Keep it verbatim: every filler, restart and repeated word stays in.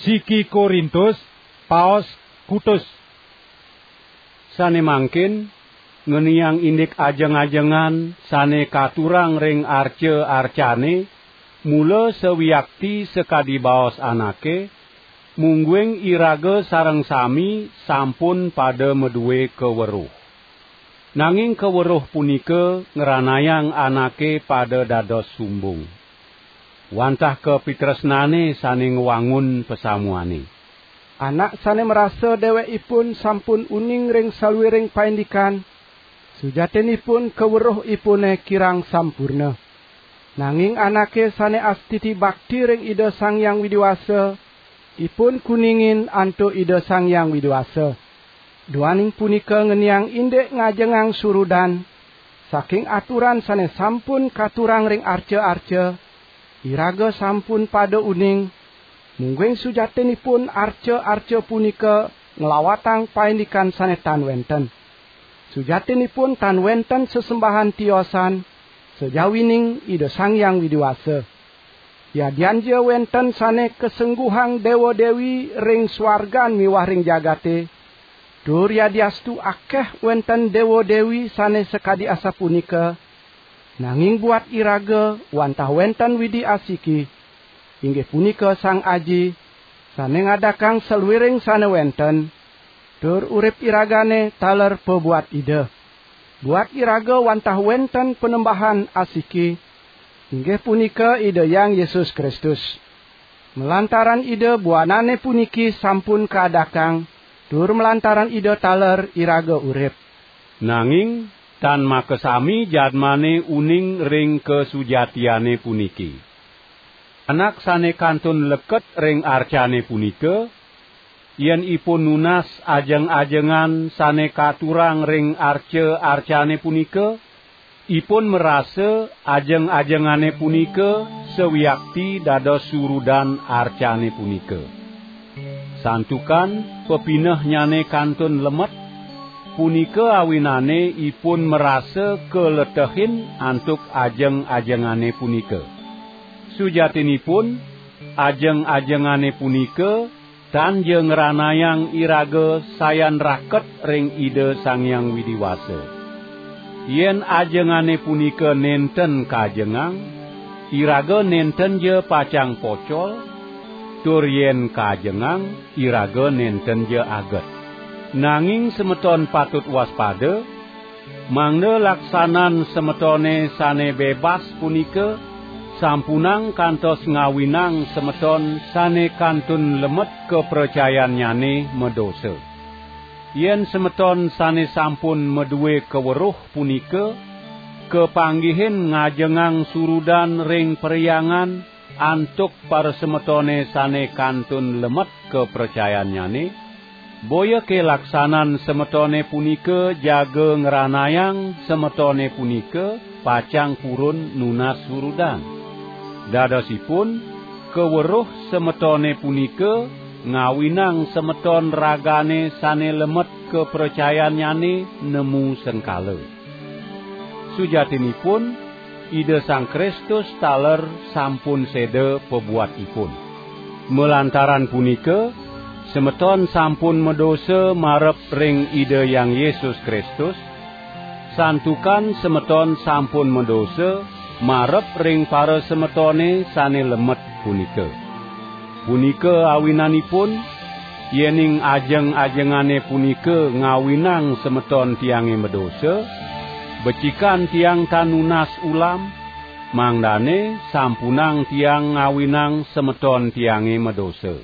Siki Korintus, paos kutus. Sane mangkin, ngeniang indik ajeng-ajengan sane katurang ring arca-arcane, mula sawiakti sakadi baos anake, mungguing iraga sareng sami sampun pada madue kaweruh. Nanging kaweruh punika ngranayang anake pada dados sumbung. Wantah kapitresnane sane ngwangun pasamuane. Anak sane marasa dewekipun sampun uning ring saluiring paindikan, sujatinipun kaweruhipune kirang sampurna. Nanging anake sane astiti bakti ring Ida Sang Hyang Widi Wasa, ipun kuningin antuk Ida Sang Hyang Widi Wasa. Duaning punika ngeniang indik ngajengang surudan, saking aturan sane sampun katurang ring arca-arca, iraga sampun pada uning, mungguing sujatinipun arca-arca punika nglawatang paindikan sane tan wenten. Sujatinipun tan wenten sesembahan tiosan, sajawining Ida Sang Hyang Widi Wasa. Yadianja wenten sane kasengguhang dewa-dewi ring swargan miwah ring jagate, tur yadiastu akeh wenten dewa-dewi sane sakadi asapunika, nanging buat iraga wantah wenten Widi asiki, inggih punika Sang Aji, sane ngadakang saluiring sane wenten, tur urip iragane taler pabuat Ida. Buat iraga wantah wenten Panembahan asiki, inggih punika Ida Hyang Yesus Kristus. Malantaran Ida buanane puniki sampun kaadakang, tur malantaran Ida taler iraga urip. Nanging tan makasami jadmane uning ring kasujatiane puniki. Anak sane kantun leket ring arcane punika, yen ipun nunas ajeng-ajengan sane katurang ring arca-arcane punika, ipun marasa ajeng-ajengane punika sawiakti dados surudan arcane punika. Santukan pepinehnyane kantun lemet, punika awinane ipun marasa kaletehin antuk ajeng-ajengane punika. Sujatinipun, ajeng-ajengane punika tan ja ngranayang iraga sayan raket ring Ida Sang Hyang Widi Wasa. Yen ajengane punika nenten kajengang, iraga nenten ja pacang pocol, tur yen kajengang, iraga nenten ja aget. Nanging semeton patut waspada, mangda laksanan semetone sane bebas punika sampunang kantos ngawinang semeton sane kantun lemet kapracayannyane madosa. Yen semeton sane sampun madue kaweruh punika kapanggihin ngajengang surudan ring perhyangan antuk parasemetone sane kantun lemet kapracayannyane, boya kalaksanan semetone punika jaga ngranayang semetone punika pacang purun nunas surudan. Dadosipun, kaweruh semetone punika ngawinang semeton ragane sane lemet kapracayannyane nemu sengkala. Sujatinipun, Ida Sang Kristus taler sampun seda pabuat ipun. Malantaran punika, semeton sampun madosa marep ring Ida Hyang Yesus Kristus, santukan semeton sampun madosa marep ring parasemetone sane lemet punika. Punika awinanipun, yening ajeng-ajengane punika ngawinang semeton tiange madosa, becikan tiang tan nunas ulam, mangdane sampunang tiang ngawinang semeton tiange madosa.